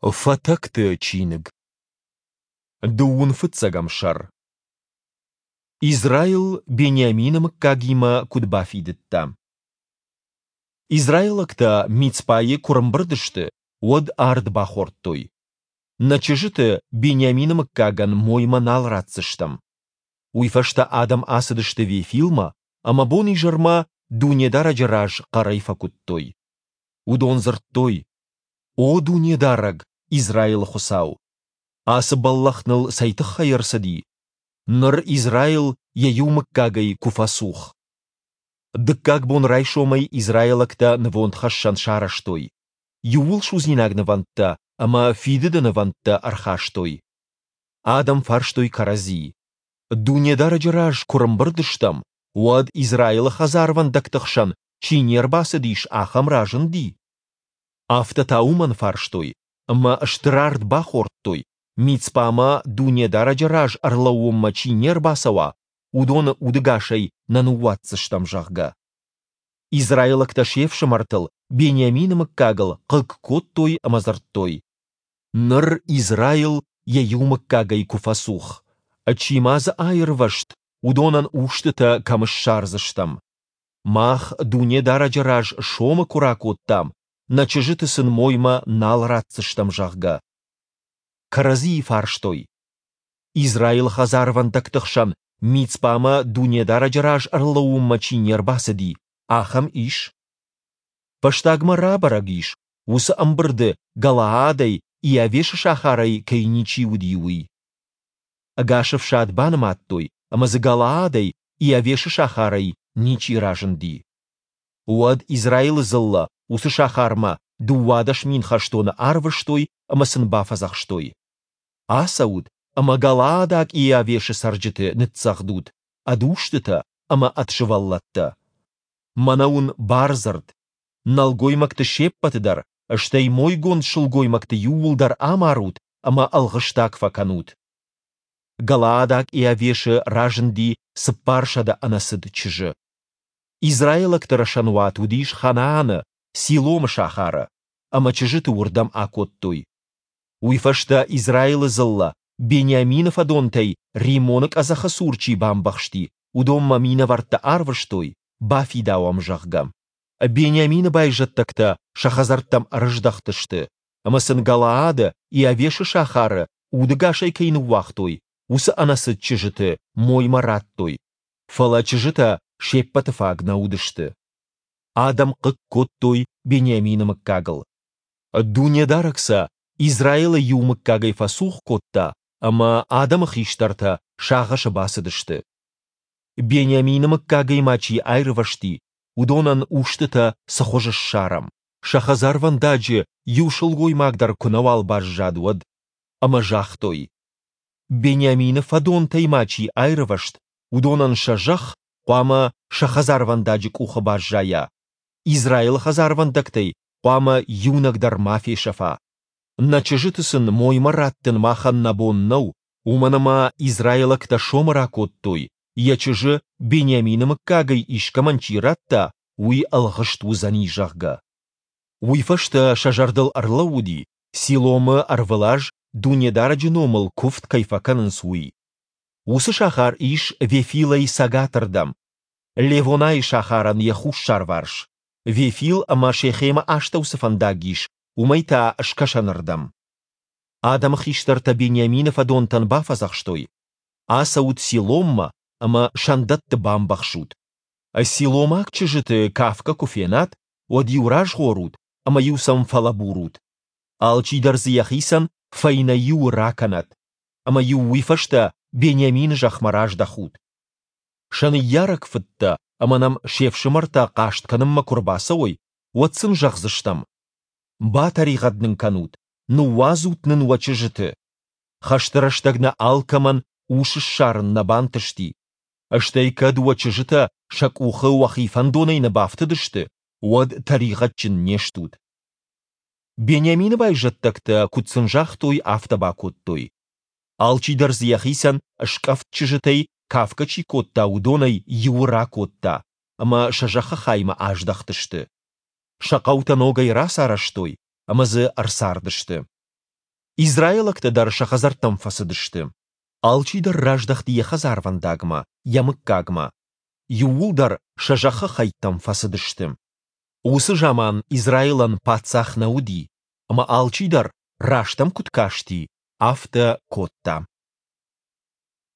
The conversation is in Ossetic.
Фатӕгты чиныг. Дыууын фыццӕгӕм сӕр. Израил Бениамины мыггагимӕ куыд бафидыдта. Израилӕгтӕ Мицпайы куы рымбырд сты, уӕд ард бахордтой: Нӕ чызджыты Бениамины мыггагӕн моймӕ нал ратдзыстӕм. Уый фӕстӕ адӕм ацыдысты Вефилмӕ ӕмӕ бон-изӕрмӕ Дунедарӕджы раз хъӕрӕй фӕкуыдтой. Уыдон дзырдтой: О Дунедарӕг, Израилы Хуыцау! Ацы бӕллӕх ныл цӕй тыххӕй ӕрцыди? Ныр Израил йӕ иу мыггагӕй куы фӕцух. Дыккаг бон райсомӕй израилӕгтӕ нывондхӕссӕн сарӕзтой, иууылсудзинаг нывӕндтӕ ӕмӕ фидыды нывӕндтӕ ӕрхастой. Адӕм фарстой кӕрӕдзийы: Дунедарӕджы раз куы рымбырд стӕм, уӕд Израилы хӕдзарвӕндӕгты хсӕн чи не рбацыдис, ахӕм разынди? Афтӕ та уымӕн фарстой, ӕмӕ стыр ард бахордтой, Мицпамӕ Дунедарӕджы раз ӕрлӕууынмӕ чи не рбацӕуа, уыдоны удӕгасӕй нӕ ныууадздзыстӕм, зӕгъгӕ. Израилӕгтӕ се фсымӕртыл, Бениамины мыггагыл, хъыг кодтой ӕмӕ дзырдтой: Ныр Израил йӕ иу мыггагӕй куы фӕцух, чи ма дзы аирвӕзт, уыдонӕн устытӕ кӕм ссардзыстӕм? Мах Дунедарӕджы раз сомы куы ракодтам, нӕ чызджыты сын моймӕ нал ратдзыстӕм, зӕгъгӕ. Кӕрӕдзийы фарстой: Израилы хӕдзарвӕндӕгты хсӕн Мицпамӕ Дунедарӕджы раз ӕрлӕууынмӕ чи не рбацыди, ахӕм ис? Фӕстагмӕ рабӕрӕг ис, уыцы ӕмбырды Галаадӕй Иавешы сахарӕй кӕй ничи уыди, уый. Ӕгас ӕфсад банымадтой, ӕмӕ дзы Галаадӕй Иавешы сахарӕй ничи разынди. Уӕд Израилы дзыллӕ уыцы сахармӕ 12 000 хӕстоны арвыстой ӕмӕ сын бафӕдзӕхстой: Ацӕут ӕмӕ галаадаг Иавешы цӕрджыты ныццӕгъдут ӕд устытӕ ӕмӕ ӕд сывӕллӕттӕ. Мӕнӕ уын бардзырд: нӕлгоймӕгты се ппӕты дӕр, стӕй мойгонд сылгоймӕгты иууылдӕр амарут ӕмӕ ӕлгъыстаг фӕкӕнут. Галаадаг Иавешы разынди 400 ӕнӕцыд чызджы. Израилӕгты рӕсӕнуат уыдис Ханааны, Силомы сахары, ӕмӕ чызджыты уырдӕм акодтой. Уый фӕстӕ Израилы дзыллӕ, Бениамины фӕдонтӕй Риммоны къӕдзӕхы цур чи бамбӕхсти, уыдонмӕ минӕвӕрттӕ арвыстой, бафидауӕм, зӕгъгӕ. Бениамины байзӕддӕгтӕ сӕ хӕдзӕрттӕм ӕрыздӕхтысты, ӕмӕ сын Галаады, Иавешы сахары, удӕгасӕй кӕй ныууагътой, уыцы ӕнӕцыд чызджыты моймӕ радтой, фӕлӕ чызджытӕ се ппӕты фаг нӕ уыдысты. Адӕм хъыг кодтой Бениамины мыггагыл. Дунедарӕг сӕ Израилы иу мыггагӕй фӕцух кодта, ӕмӕ адӕмы хистӕртӕ сагъӕсы бацыдысты. Бениамины мыггагӕй ма чи аирвӕзти, уыдонӕн устытӕ цы хуызы ссарӕм, сӕ хӕдзарвӕндаджы иу сылгоймаг дӕр куы нӕуал баззад, уӕд? Ӕмӕ загътой: Бениамины фӕдонтӕй ма чи аирвӕзт, уыдонӕн сӕ зӕхх хъуамӕ сӕ хӕдзарвӕндаджы къухы баззайа, Израилы хӕдзарвӕндӕгтӕй хъуамӕ иунӕг дӕр ма фесӕфа. Нӕ чызджыты сын моймӕ раттын махӕн нӕ бон нӕу, уымӕн ӕмӕ израилӕгтӕ сомы ракодтой, йӕ чызджы Бениамины мыггагӕй искӕмӕн чи радта, уый ӕлгъыст уыдзӕни, зӕгъгӕ. Уый фӕстӕ сӕ зӕрдыл ӕрлӕууыди, Силомы ӕрвылаз Дунедарӕджы номыл куывд кӕй фӕкӕнынц, уый. Уыцы сахар ис Вефилӕй цӕгатырдӕм, Левонайы сахарӕн йӕ хуссарварс, Вефил ӕмӕ Шехемы астӕу цы фӕндаг ис, уымӕй та скӕсӕнырдӕм. Адӕмы хистӕртӕ Бениамины фӕдонтӕн бафӕдзӕхстой: Ацӕут Силоммӕ ӕмӕ сӕндӕтты бамбӕхсут. Силомаг чызджыты кафгӕ куы фенат, уӕд-иу разгъорут ӕмӕ-иу сӕм фӕлӕбурут. Алчидӕр дзы йӕхицӕн фӕйнӕ иуы ракӕнӕд, ӕмӕ-иу уый фӕстӕ Бениамины зӕхмӕ раздӕхут. Сӕ ныййарӕг фыдтӕ ӕмӕ нӕм се фсымӕртӕ хъаст кӕнынмӕ куы рбацӕуой, уӕд сын зӕгъдзыстӕм: Батӕригъӕд нын кӕнут, ныууадзут нын уӕ чызджыты. Хӕсты рӕстӕг нӕ алкӕмӕн ус ссарын нӕ бантысти. Стӕй кӕд уӕ чызджытӕ сӕ къухы уӕхи фӕндонӕй нӕ бафтыдысты, уӕд тӕригъӕдджын не стут. Бениамины байзӕддӕгтӕ, куыд сын загътой, афтӕ бакодтой. Алчидӕр дзы йӕхицӕн скъӕфт чызджытӕй кафгӕ чи кодта, уыдонӕй иуы ракодта, ӕмӕ сӕ зӕххы хаймӕ аздӕхтысты. Сӕ хъӕутӕ ногӕй рацарӕзтой ӕмӕ дзы ӕрцардысты. Израилӕгтӕ дӕр сӕ хӕдзӕрттӕм фӕцыдысты. Алчидӕр раздӕхти йӕ хӕдзарвӕндагмӕ, йӕ мыггагмӕ. Иууылдӕр сӕ зӕххы хӕйттӕм фӕцыдысты. Уыцы заман Израилӕн паддзах нӕ уыди, ӕмӕ алчидӕр, раст ӕм куыд касти, афтӕ кодта.